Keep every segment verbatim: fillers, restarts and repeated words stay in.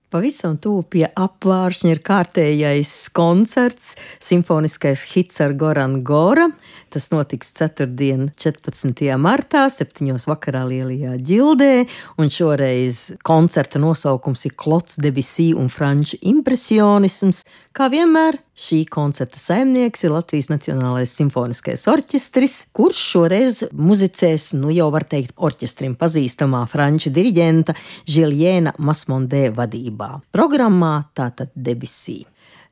Pavisam tuvu pie apvāršņa ir kārtējais koncerts, simfoniskais hits ar Goran Gora. Tas notiks ceturtdien, četrpadsmitajā martā, septiņos vakarā Lielajā ģildē, un šoreiz koncerta nosaukums ir Claude Debussy un franču impresionisms. Kā vienmēr, šī koncerta saimnieks ir Latvijas Nacionālais simfoniskais orķestris, kurš šoreiz muzicēs, nu jau var teikt, orķestrim pazīstamā franču diriģenta Žiljēna Masmondē vadībā. Programmā tātad Debussy.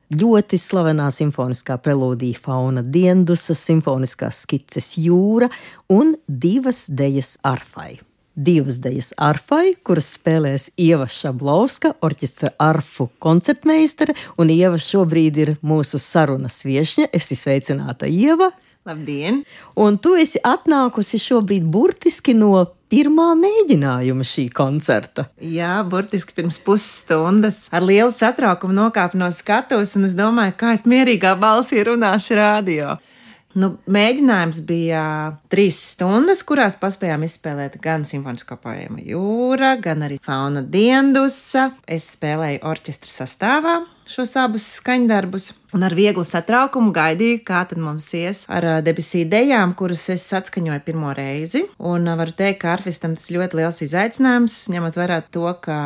Ļoti slavenā simfoniskā prelūdija Fauna Diendusa, simfoniskās skices Jūra un divas dejas arfai. Divas dejas arfai, kuras spēlēs Ieva Šablovska, orķestra arfu koncertmeistare, un Ieva šobrīd ir mūsu sarunas viešņa. Esi sveicināta, Ieva! Labdien! Un tu esi atnākusi šobrīd burtiski no pirmā mēģinājuma šī koncerta. Jā, burtiski pirms pusstundas ar lielu satraukumu nokāpu no skatuves, un es domāju, kā es mierīgā balsī runāšu rādio. Nu, mēģinājums bija trīs stundas, kurās paspējām izspēlēt gan simfonisko poēmu Jūra, gan arī Fauna Diendusa. Es spēlēju orķestra sastāvā šos abus skaņdarbus, un ar vieglu satraukumu gaidīju, kā tad mums ies ar Debussy dejām, kuras es atskaņoju pirmo reizi. Un varu teikt, ka arfistam tas ļoti liels izaicinājums, ņemot vērā to, ka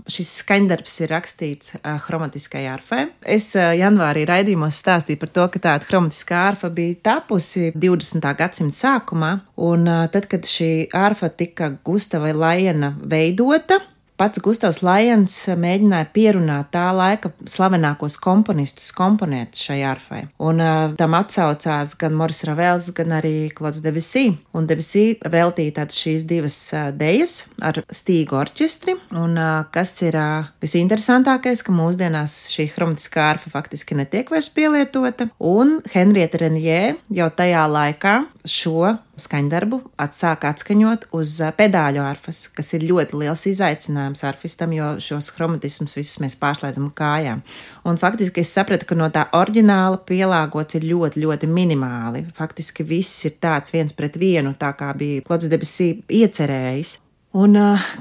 šis skaņdarbs ir rakstīts hromatiskai arfai. Es janvārī raidījumos stāstīju par to, ka tāda hromatiskā arfa bija tapusi divdesmitā gadsimta sākumā, un tad, kad šī arfa tika Gustava Lajena veidota, pats Gustavs Lajens mēģināja pierunāt tā laika slavenākos komponistus komponēt šai arfai. Un uh, tam atsaucās gan Moris Ravels, gan arī Claude Debussy. Un Debussy veltīja tādas šīs divas uh, dejas ar stīgu orķestri. Un uh, kas ir uh, visinteresantākais, ka mūsdienās šī hromatiskā arfa faktiski netiek vairs pielietota. Un Henrieta Renjē jau tajā laikā šo skaņdarbu atsāka atskaņot uz pedāļu arfas, kas ir ļoti liels izaicinājums arfistam, jo šos hromatismus visus mēs pārslēdzam kājām. Un faktiski es sapratu, ka no tā oriģināla pielāgots ir ļoti, ļoti minimāli. Faktiski viss ir tāds viens pret vienu, tā kā bija Claude Debussy iecerējis. Un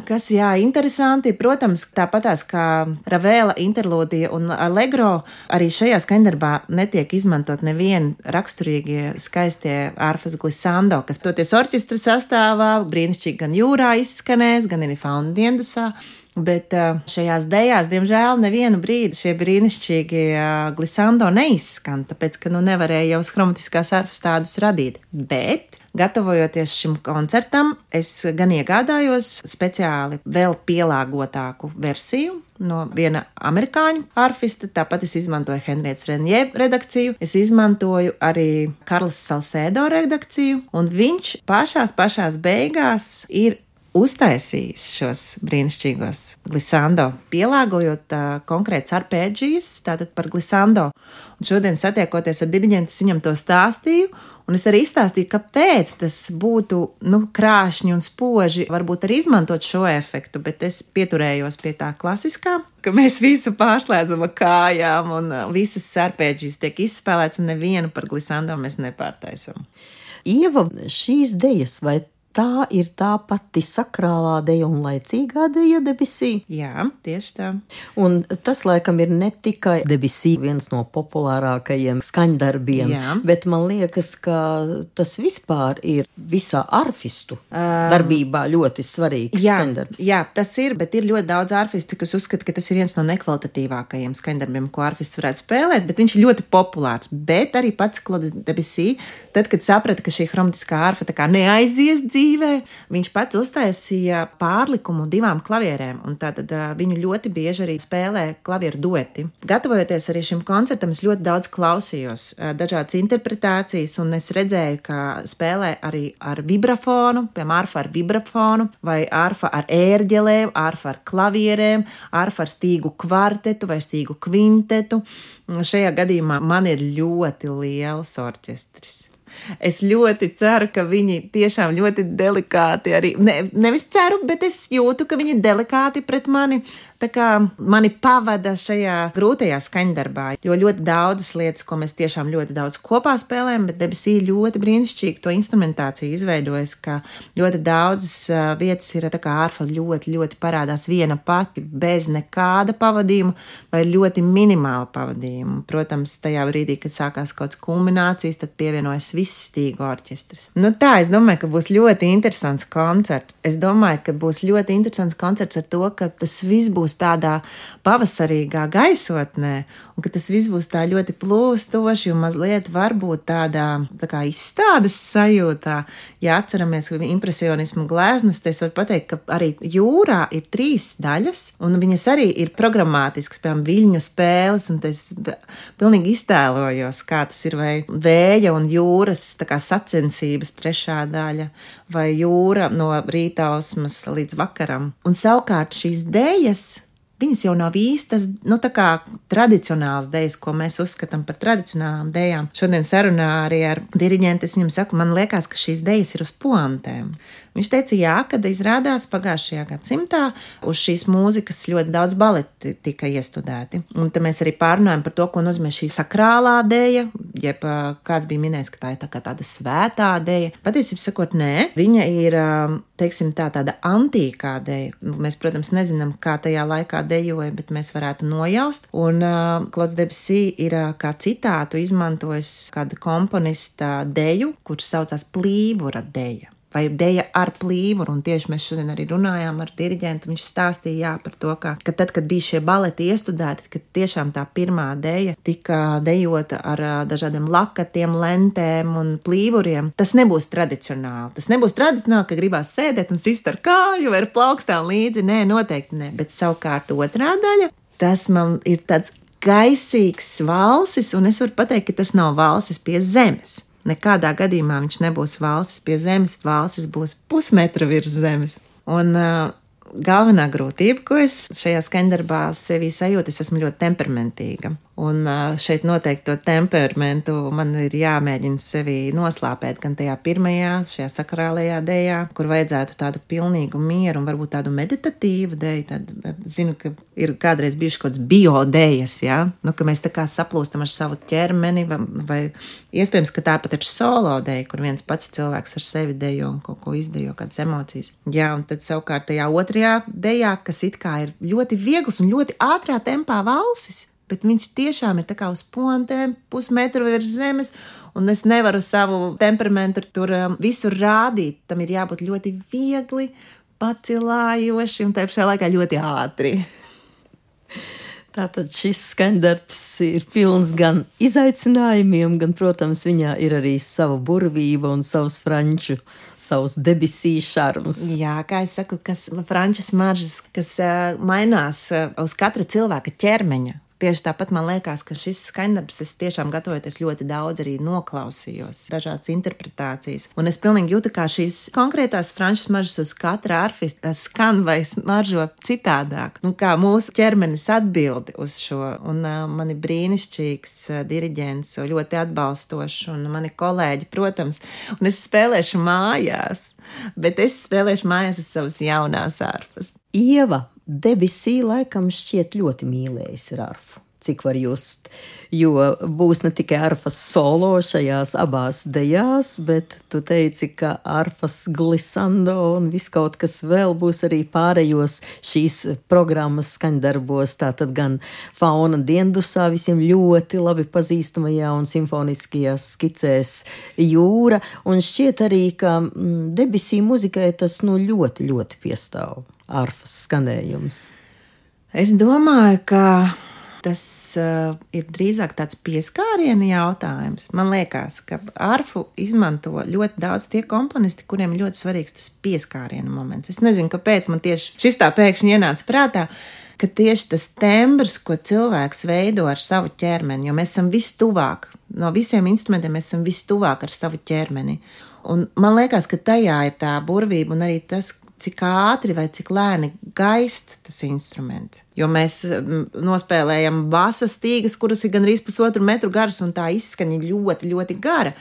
kas, jā, interesanti, protams, tāpatās kā Ravela interlūdija un allegro, arī šajā skaņdarbā netiek izmantot nevieni raksturīgie skaistie arfas glissando, kas toties orķestra sastāvā, brīnišķīgi gan Jūrā izskanēs, gan arī Fauna Diendusā. Bet šajās dejās, diemžēl, nevienu brīdi šie brīnišķīgi glissando neizskan, tāpēc, ka nu nevarēja jau hromatiskās arfas tādus radīt. Bet, gatavojoties šim koncertam, es gan iegādājos speciāli vēl pielāgotāku versiju no viena amerikāņu arfista, tāpat es izmantoju Henrietas Renjē redakciju, es izmantoju arī Karlos Salsēdo redakciju, un viņš pašās pašās beigās ir uztaisījis šos brīnišķīgos glissando, pielāgojot uh, konkrēts arpēģijas, tātad par glissando. Un šodien satiekoties ar diriģentu, viņam to stāstīju, un es arī izstāstīju, kāpēc tas būtu, nu, krāšņi un spoži, varbūt arī izmantot šo efektu, bet es pieturējos pie tā klasiskā, ka mēs visu pārslēdzam ar kājām, un uh, visas arpēģijas tiek izspēlēts, un nevienu par glissando mēs nepārtaisam. Ieva, šīs dejas, vai tā ir tā pati sakrālā deja un laicīgā deja Debussy? Jā, tieši tā. Un tas, laikam, ir ne tikai Debussy viens no populārākajiem skaņdarbiem, jā, bet man liekas, ka tas vispār ir visā arfistu um, darbībā ļoti svarīgs jā, skaņdarbs. Jā, tas ir, bet ir ļoti daudz arfisti, kas uzskata, ka tas ir viens no nekvalitatīvākajiem skaņdarbiem, ko arfists varētu spēlēt, bet viņš ir ļoti populārs. Bet arī pats Claude Debussy, tad, kad saprata, ka šī hromatiskā arfa tā kā neaizies dzīvē, viņš pats uztaisīja pārlikumu divām klavierēm, un tātad uh, viņu ļoti bieži arī spēlē klavieru dueti. Gatavojoties arī šim koncertam, es ļoti daudz klausījos uh, dažādas interpretācijas, un es redzēju, ka spēlē arī ar vibrafonu, piemēram, arfa ar vibrafonu, vai arfa ar ērģelēm, arfa ar klavierēm, arfa ar stīgu kvartetu vai stīgu kvintetu. Šajā gadījumā man ir ļoti liels orķestris. Es ļoti ceru, ka viņi tiešām ļoti delikāti arī, ne, nevis ceru, bet es jūtu, ka viņi delikāti pret mani tā kā mani pavada šajā grūtajā skaņdarbā, jo ļoti daudzas lietas, ko mēs tiešām ļoti daudz kopā spēlējam, bet debesī ļoti brīnišķīgi to instrumentāciju izveidojas, ka ļoti daudzas vietas ir tā kā arfa ļoti, ļoti parādās viena pati, bez nekāda pavadījuma vai ļoti minimāla pavadījuma. Protams, tajā brīdī, kad sākās kaut kāds kulminācijas, tad pievienojas viss stīgu orķestris. Nu tā, es domāju, ka būs ļoti interesants koncerts. Es domāju, ka būs ļoti interesants koncerts ar to, ka tas viss būs tādā pavasarīgā gaisotnē, un ka tas viss būs tā ļoti plūstoši un mazliet varbūt tādā tā kā izstādes sajūtā. Ja atceramies impresionismu gleznas, tad es varu pateikt, ka arī jūrā ir trīs daļas, un viņas arī ir programmātiskas, piemēram, viļņu spēles, un es pilnīgi iztēlojos, kā tas ir, vai vēja un jūras tā kā sacensības trešā daļa, vai jūra no rītausmas līdz vakaram. Un savukārt šīs dejas, viņas jau nav īstas, nu tā kā tradicionāls dejas, ko mēs uzskatām par tradicionālām dejām. Šodien sarunā arī ar diriģentu es viņam saku, man liekas, ka šīs dejas ir uz poantēm. Viņš teica, jā, kad izrādās pagājušajā gadsimtā uz šīs mūzikas ļoti daudz baleti tika iestudēti. Un te mēs arī pārunājam par to, ko nozīmē šī sakrālā deja, jeb kāds bija minējis, ka tā ir tā kā tāda svētā deja. Patiesībā sakot, nē, viņa ir, teiksim tā, tāda antīkā deja. Mēs, protams, nezinām, kā tajā laikā dejoja, bet mēs varētu nojaust. Un uh, Claude Debussy ir uh, kā citātu izmantojis kāda komponista deju, kurš saucās Plīvura deja. Vai deja ar plīvuru, un tieši mēs šodien arī runājām ar diriģentu, viņš stāstīja jā, par to, ka, ka tad, kad bija šie baleti iestudēti, kad tiešām tā pirmā deja tika dejota ar dažādiem lakatiem, lentēm un plīvuriem, tas nebūs tradicionāli. Tas nebūs tradicionāli, ka gribās sēdēt un sist ar kāju vai ar plaukstām līdzi, nē, noteikti nē, bet savukārt otrā daļa, tas man ir tāds gaisīgs valsis, un es varu pateikt, ka tas nav valsis pie zemes. Nekādā gadījumā viņš nebūs valsis pie zemes, valsis būs pusmetra virs zemes. Un uh, galvenā grūtība, ko es šajā skaņdarbā sevī sajūtu, es esmu ļoti temperamentīga. Un šeit noteikti to temperamentu man ir jāmēģina sevi noslāpēt gan tajā pirmajā, šajā sakrālajā dejā, kur vajadzētu tādu pilnīgu mieru un varbūt tādu meditatīvu deju. Tad, zinu, ka ir kādreiz bijuši kaut kāds biodejas, ja? Nu, ka mēs tā kā saplūstam ar savu ķermeni, vai, vai iespējams, ka tāpat ir solo deja, kur viens pats cilvēks ar sevi dejo un kaut ko izdejo, kādas emocijas. Jā, un tad savukārt tajā otrajā dejā, kas it kā ir ļoti viegls un ļoti ātrā tempā valsis, bet viņš tiešām ir tā kā uz pontēm, pusmetru virs zemes, un es nevaru savu temperamentu tur um, visur rādīt. Tam ir jābūt ļoti viegli, pacilājoši un tā pašā laikā ļoti ātri. Tātad šis skaņdarbs ir pilns gan izaicinājumiem, gan, protams, viņā ir arī sava burvība un savs franču, savs Debussy šarms. Jā, kā es saku, kas franču smaržas, kas uh, mainās uh, uz katra cilvēka ķermeņa. Tieši tāpat man liekas, ka šis skaņdarbs, es tiešām gatavojoties ļoti daudz arī noklausījos, dažādas interpretācijas. Un es pilnīgi jūtu, kā šīs konkrētās franču smaržas uz katra arfista skan vai smaržo citādāk. Un kā mūsu ķermenis atbildi uz šo. Un uh, mani brīnišķīgs uh, diriģents, ļoti atbalstošs, un mani kolēģi, protams. Un es spēlēšu mājās, bet es spēlēšu mājās uz savas jaunās arfas. Ieva, Debussy laikam šķiet ļoti mīlējis ar arfu, cik var just, jo būs ne tikai arfas solo šajās abās dejās, bet tu teici, ka arfas glissando un viss kaut kas vēl būs arī pārējos šīs programmas skaņdarbos, tātad gan Fauna Diendusā visiem ļoti labi pazīstamajā un simfoniskajās skicēs jūra, un šķiet arī, ka mm, Debussy muzikai tas nu ļoti, ļoti piestāv. Arfas skanējums. Es domāju, ka tas uh, ir drīzāk tāds pieskāriena jautājums. Man liekas, ka arfu izmanto ļoti daudz tie komponisti, kuriem ir ļoti svarīgs tas pieskāriena moments. Es nezinu, kāpēc man tieši šis tā pēkšņi ienāca prātā, ka tieši tas tembrs, ko cilvēks veido ar savu ķermeni, jo mēs esam vistuvāk, no visiem instrumentiem mēs esam vistuvāk ar savu ķermeni. Un man liekas, ka tajā ir tā burvība un arī tas, cik ātri vai cik lēni gaist tas instruments. Jo mēs nospēlējam basa stīgas, kuras ir gandrīz pusotru metru garas, un tā izskaņa ļoti, ļoti gara.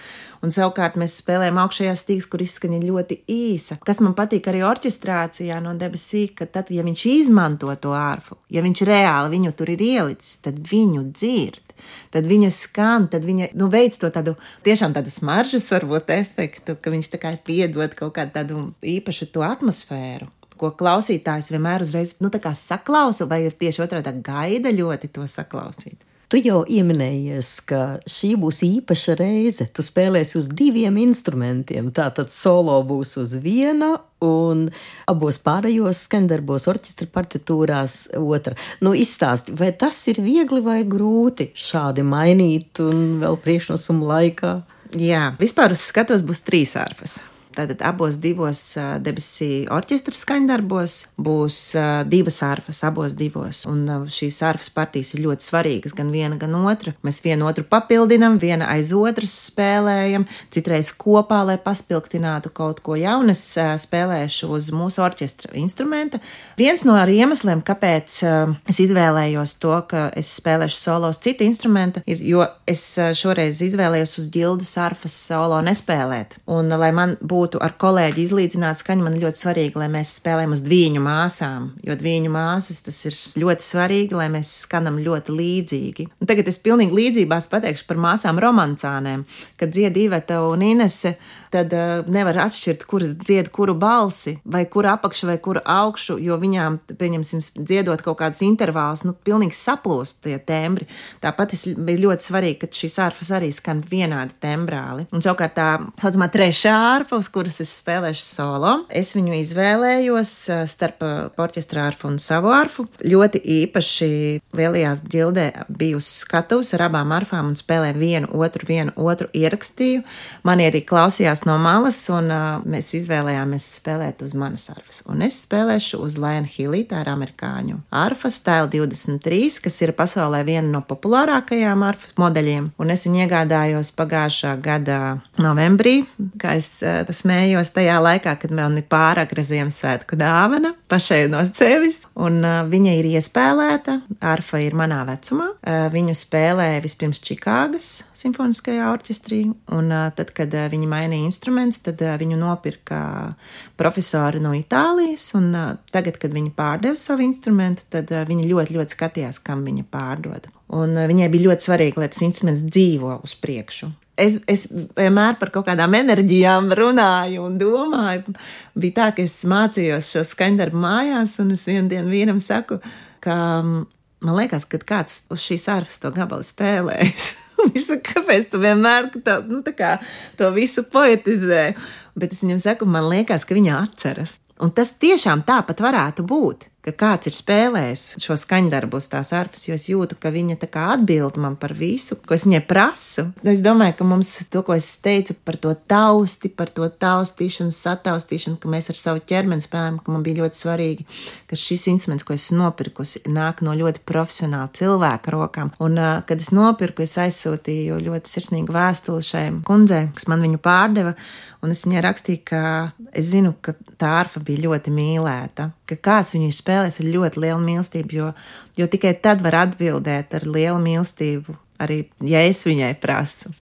Un savukārt mēs spēlējam augšējās stīgas, kur izskaņa ļoti īsa. Kas man patīk arī orķestrācijā no Debussy, ka tad, ja viņš izmanto to ārfu, ja viņš reāli viņu tur ir ielicis, tad viņu dzird. Tad viņa skan, tad viņa nu, veic to tādu tiešām tādu smaržas varbūt efektu, ka viņš tā kā piedod kaut kādu tādu īpašu to atmosfēru, ko klausītājs vienmēr uzreiz nu, tā kā saklausa, vai ir tieši otrādā gaida ļoti to saklausīt. Tu jau ieminējies, ka šī būs īpaša reize. Tu spēlēsi uz diviem instrumentiem. Tātad solo būs uz viena un abos pārējos skaņdarbos orķestra partitūrās otra. Nu, izstāsti, vai tas ir viegli vai grūti šādi mainīt un vēl priekšnosumu laikā? Jā, vispār uz skatos būs trīs ārfas. Tātad abos divos uh, Debussy orķestra skaņdarbos būs uh, divas arfas, abos divos. Un uh, šīs arfas partijas ir ļoti svarīgas, gan viena, gan otra. Mēs vienu otru papildinam, viena aiz otras spēlējam, citreiz kopā, lai paspilgtinātu kaut ko jaunu. Es uh, spēlēšu uz mūsu orķestra instrumenta. Viens no iemesliem, kāpēc uh, es izvēlējos to, ka es spēlēšu solo uz citu instrumenta, ir, jo es uh, šoreiz izvēlējos uz ģildes arfas solo nespēlēt. Un, uh, lai man būtu būtu ar kolēģi izlīdzināt skaņu, man ir ļoti svarīgi, lai mēs spēlējam uz dviņu māsām, jo dviņu māsas tas ir ļoti svarīgi, lai mēs skanam ļoti līdzīgi. Un tagad es pilnīgi līdzībās pateikšu par māsām romancānēm, kad dzied Iveta un Inese, tad uh, nevar atšķirt, kura dzied kuru balsi, vai kuru apakšu, vai kuru augšu, jo viņām, pieņemsim, dziedot kaut kādus intervālus, nu, pilnīgi saplūst tie tembri. Tāpat es bija ļoti svarīgi, ka šīs ārfas arī skan vienādi tembrāli. Un savukārt tā, saucamā trešā ārfa, uz kuras es spēlēšu solo, es viņu izvēlējos starp orķestra ārfu un savu ārfu. Ļoti īpaši Lielajās ģildē biju uz skatuves ar abām ārfām un spēlēju vienu, otru, vienu, otru ierakstīju. Mani arī klausījās no malas, un uh, mēs izvēlējāmies spēlēt uz manas arfas. Un es spēlēšu uz Lion Hilly, tā ir amerikāņu arfa, Style divdesmit trīs, kas ir pasaulē viena no populārākajām arfas modeļiem. Un es viņu iegādājos pagājušā gada novembrī, kā es uh, smējos tajā laikā, kad man ir pāragra Ziemassvētku dāvana pašai no sevis. Un uh, viņa ir iespēlēta, arfa ir manā vecumā. Uh, viņu spēlēja vispirms Čikāgas simfoniskajā orķestrī, un uh, tad, kad uh, viņi mainīja instrumentus, tad uh, viņu nopirka profesori no Itālijas, un uh, tagad, kad viņi pārdeva savu instrumentu, tad uh, viņi ļoti, ļoti skatījās, kam viņa pārdod. Un uh, viņai bija ļoti svarīgi, lai tas instruments dzīvo uz priekšu. Es, es vienmēr par kaut kādām enerģijām runāju un domāju. Bija tā, ka es mācījos šo skaņdarbu mājās, un es vienu dienu vienam saku, ka man liekas, ka kāds uz šīs ārfas to gabalu spēlējis. Viņš saka, kāpēc tu vienmēr tā, nu, tā kā, to visu poetizē? Bet es viņam saku, man liekas, ka viņa atceras. Un tas tiešām tāpat varētu būt, ka kāds ir spēlējis šo skaņdarbu uz tās arfas, jo es jūtu, ka viņa tā kā atbild man par visu, ko es viņai prasu. Es domāju, ka mums to, ko es teicu par to tausti, par to taustīšanu, sataustīšanu, ka mēs ar savu ķermeni spēlējam, ka man bija ļoti svarīgi, ka šis instruments, ko es nopirkusi, nāk no ļoti profesionāla cilvēka rokām. Un, kad es nopirku, es aizsūtīju ļoti sirsnīgu vēstuli šai kundzei, kas man viņu pārdeva, un es viņai rakstīju, ka es zinu, ka tā arfa bija ļoti mīlēta, ka kāds viņu spēlēs ar ļoti lielu mīlestību, jo, jo tikai tad var atbildēt ar lielu mīlestību, arī ja es viņai prasu.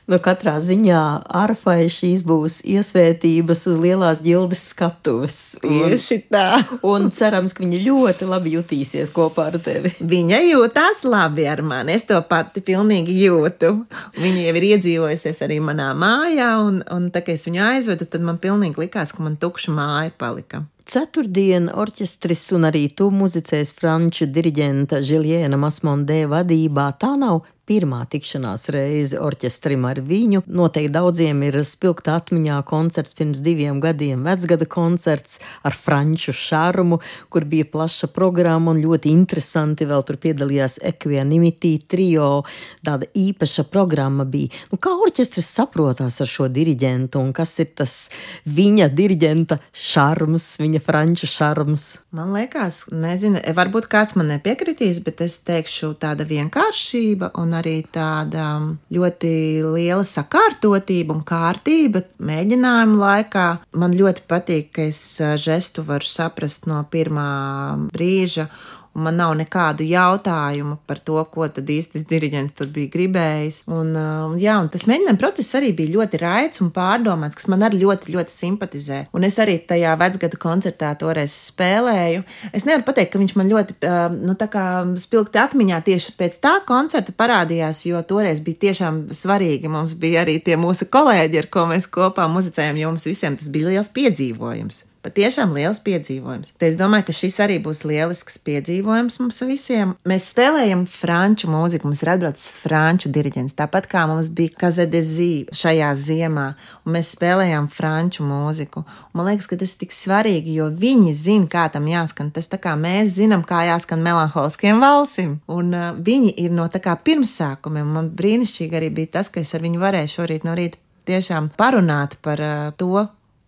Nu, katrā ziņā arfai šīs būs iesvētības uz Lielās ģildes skatuves. Tieši tā. Un cerams, ka viņa ļoti labi jutīsies kopā ar tevi. Viņa jūtās labi ar mani, es to pati pilnīgi jūtu. Viņa jau ir iedzīvojusies arī manā mājā, un, un tā, ka es viņu aizvedu, tad man pilnīgi likās, ka man tukša māja palika. Ceturtdien orķestris un arī tu muzicēs franču diriģenta Žiljēna Masmondē vadībā. Tā nav pirmā tikšanās reize orķestrim ar viņu. Noteikti daudziem ir spilgta atmiņā koncerts pirms diviem gadiem, vecgada koncerts ar franču šarmu, kur bija plaša programma un ļoti interesanti. Vēl tur piedalījās Equanimity trio, tāda īpaša programma bija. Nu, kā orķestris saprotās ar šo diriģentu un kas ir tas viņa diriģenta šarms, viņa franču šarms? Man liekas, nezinu, varbūt kāds man nepiekritīs, bet es teikšu tāda vienkāršība un arī tāda ļoti liela sakārtotība un kārtība mēģinājuma laikā. Man ļoti patīk, ka es žestu varu saprast no pirmā brīža un man nav nekādu jautājumu par to, ko tad īsti diriģents tur bija gribējis. Un, jā, un tas mēģinājuma process arī bija ļoti raids un pārdomāts, kas man arī ļoti, ļoti simpatizē. Un es arī tajā vecgada koncertā toreiz spēlēju. Es nevaru pateikt, ka viņš man ļoti, nu, tā kā spilgti atmiņā tieši pēc tā koncerta parādījās, jo toreiz bija tiešām svarīgi. Mums bija arī tie mūsu kolēģi, ar ko mēs kopā muzicējam, jo mums visiem tas bija liels piedzīvojums. Patiešām liels piedzīvojums. Te es domāju, ka šis arī būs lielisks piedzīvojums mums visiem. Mēs spēlējam franču mūziku, mums ir atbraucis franču diriģents, tāpat kā mums bija Kazedezī šajā ziemā, un mēs spēlējām franču mūziku. Un man liekas, ka tas ir tik svarīgi, jo viņi zina, kā tam jāskan. Tas tā kā mēs zinām, kā jāskan melanholiskiem valsim. Un uh, viņi ir no tā kā pirmsākumiem. Man brīnišķīgi arī bija tas, ka es ar viņu varēju šorīt no rīta tiešām parunāt par uh, to,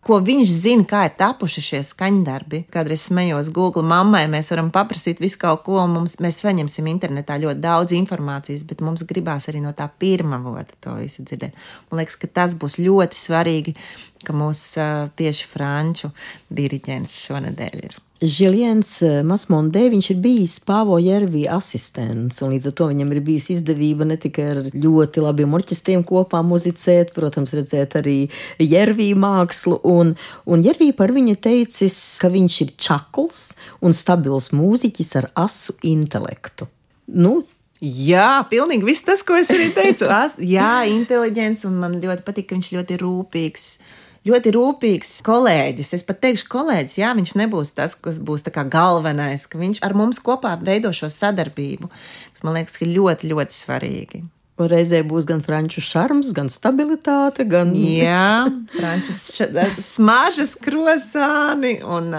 ko viņš zina, kā ir tapuši šie skaņdarbi. Kādreiz smējos Google mammai, mēs varam paprasīt visu kaut ko, un mums, mēs saņemsim internetā ļoti daudz informācijas, bet mums gribās arī no tā pirmā vota to visu dzirdēt. Man liekas, ka tas būs ļoti svarīgi, ka mūs uh, tieši franču diriģents šonedēļ ir. Žiljens Masmondē, viņš ir bijis Pāvo Jervī asistents, un līdz ar to viņam ir bijusi izdevība ne tikai ar ļoti labiem orķestriem kopā muzicēt, protams, redzēt arī Jervī mākslu, un, un Jervī par viņu teicis, ka viņš ir čakls un stabils mūziķis ar asu intelektu. Nu, Jā, pilnīgi viss tas, ko es arī teicu. Jā, inteliģents, un man ļoti patīk, ka viņš ļoti rūpīgs. Ļoti rūpīgs kolēģis. Es pat teikšu kolēģis, jā, viņš nebūs tas, kas būs tā kā galvenais, ka viņš ar mums kopā veido šo sadarbību, kas man liekas, ka ļoti, ļoti svarīgi. Un reizē būs gan franču šarms, gan stabilitāte, gan... Jā, franču smažas krosāni, un,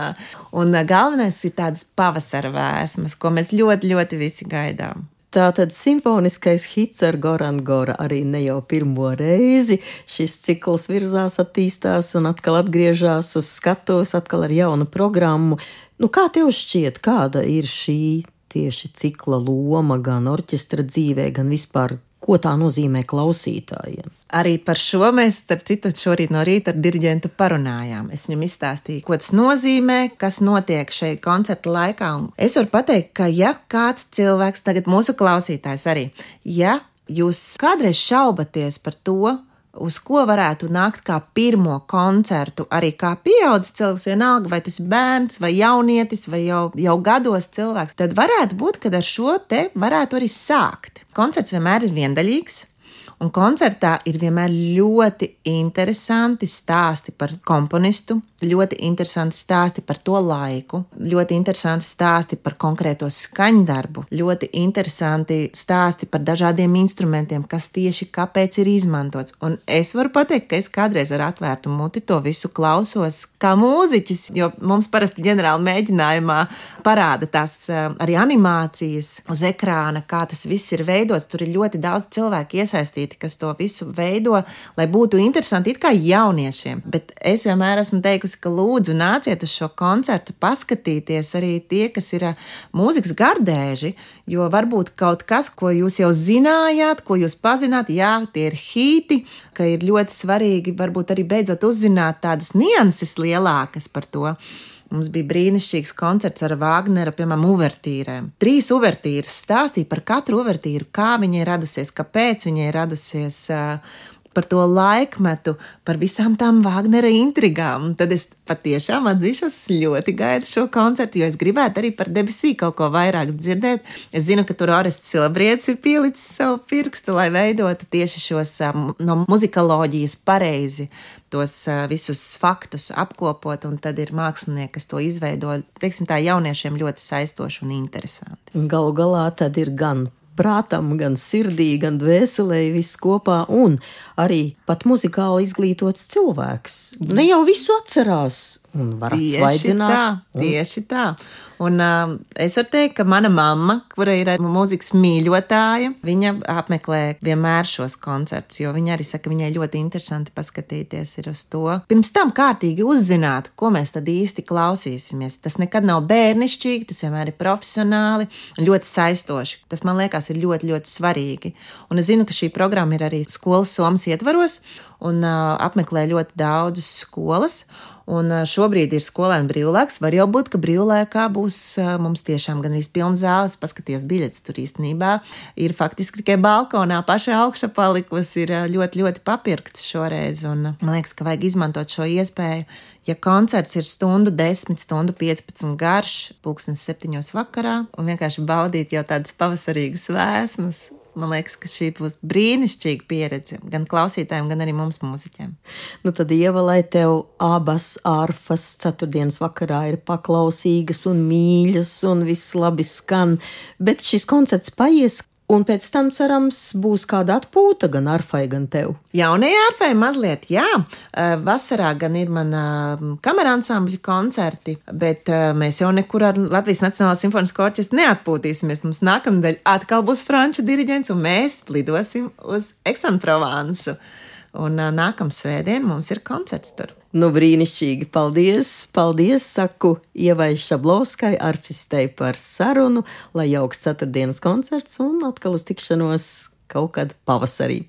un galvenais ir tādas pavasara vēsmas, ko mēs ļoti, ļoti visi gaidām. Tātad simfoniskais hits ar Goran Gora arī ne jau pirmo reizi. Šis cikls virzās, attīstās un atkal atgriežās uz skatuves, atkal ar jaunu programmu. Nu, kā tev šķiet, kāda ir šī tieši cikla loma gan orķestra dzīvē, gan vispār, ko tā nozīmē klausītājiem? Arī par šo mēs, starp citu, šorīt no rīta ar diriģentu parunājām. Es viņam izstāstīju, ko tas nozīmē, kas notiek šeit koncerta laikā. Un es varu pateikt, ka ja kāds cilvēks, tagad mūsu klausītājs arī, ja jūs kādreiz šaubaties par to, uz ko varētu nākt kā pirmo koncertu, arī kā pieaudzis cilvēks, vienalga, vai tas ir bērns, vai jaunietis, vai jau, jau gados cilvēks, tad varētu būt, kad ar šo te varētu arī sākt. Koncerts vienmēr ir viendaļīgs. Un koncertā ir vienmēr ļoti interesanti stāsti par komponistu, ļoti interesanti stāsti par to laiku, ļoti interesanti stāsti par konkrēto skaņdarbu, ļoti interesanti stāsti par dažādiem instrumentiem, kas tieši kāpēc ir izmantots. Un es varu pateikt, ka es kādreiz ar atvērtu muti to visu klausos kā mūziķis, jo mums parasti ģenerāli mēģinājumā parāda tās arī animācijas uz ekrāna, kā tas viss ir veidots. Tur ir ļoti daudz cilvēku iesaistīti, kas to visu veido, lai būtu interesanti it kā jauniešiem. Bet es vienmēr esmu teikusi, ka lūdzu nāciet uz šo koncertu paskatīties arī tie, kas ir mūzikas gardēži, jo varbūt kaut kas, ko jūs jau zinājāt, ko jūs pazināt, jā, tie ir hīti, ka ir ļoti svarīgi varbūt arī beidzot uzzināt tādas nianses lielākas par to. Mums bija brīnišķīgs koncerts ar Vāgnera, piemēram, uvertīrēm. Trīs uvertīras stāstīja par katru uvertīru, kā viņa ir radusies, kāpēc viņa ir radusies, par to laikmetu, par visām tām Vāgnera intrigām. Un tad es patiešām atzīšos, ļoti gaidu šo koncertu, jo es gribētu arī par Debesī kaut ko vairāk dzirdēt. Es zinu, ka tur Orests Silabrietis ir pielicis savu pirkstu, lai veidotu tieši šos no muzikoloģijas pareizi tos visus faktus apkopot, un tad ir mākslinieki, kas to izveido, teiksim tā, jauniešiem ļoti saistoši un interesanti. Galu galā tad ir gan prātam, gan sirdī, gan dvēselē viss kopā, un arī pat muzikāli izglītots cilvēks. Ne jau visu atcerās un var atsvaidzināt. Tieši tā, tieši tā. Un uh, es varu teikt, ka mana mamma, kura ir mūzikas mīļotāja, viņa apmeklē vienmēr šos koncertus, jo viņa arī saka, viņai ļoti interesanti paskatīties ir uz to. Pirms tam kārtīgi uzzināt, ko mēs tad īsti klausīsimies. Tas nekad nav bērnišķīgi, tas vienmēr ir profesionāli, ļoti saistoši. Tas, man liekas, ir ļoti, ļoti svarīgi. Un es zinu, ka šī programma ir arī skolas Somas ietvaros un uh, apmeklē ļoti daudzas skolas. Un šobrīd ir skolēnu brīvlaiks. Var jau būt, ka brīvlaikā būs mums tiešām gan izpilna zāles. Paskatījos biļetes tur īstenībā. Ir faktiski tikai balkonā pašā augšā palikusi, ir ļoti, ļoti papirkts šoreiz. Un man liekas, ka vajag izmantot šo iespēju. Ja koncerts ir stundu desmit, stundu piecpadsmit garš, pulkstens septiņos vakarā, un vienkārši baudīt jau tādas pavasarīgas vēsmas, man liekas, ka šī būs brīnišķīga pieredze gan klausītājiem, gan arī mums mūziķiem. Nu tad, Ieva, lai tev abas arfas ceturtdienas vakarā ir paklausīgas un mīļas un viss labi skan, bet šis koncerts paies. Un pēc tam, cerams, būs kāda atpūta gan arfai, gan tev. Jaunajai arfai mazliet, jā. Vasarā gan ir mana kamera ansambļu koncerti, bet mēs jau nekur ar Latvijas Nacionālās simfoniskā orķestra neatpūtīsimies. Mums nākamnedēļ atkal būs franču diriģents, un mēs lidosim uz Aix-en-Provensu. Un nākamā svētdien mums ir koncerts tur. Nu, brīnišķīgi. Paldies, paldies, saku Ievai Šablovskai, arfistei par sarunu, lai jauks ceturtdienas koncerts un atkal uz tikšanos kaut kad pavasarī.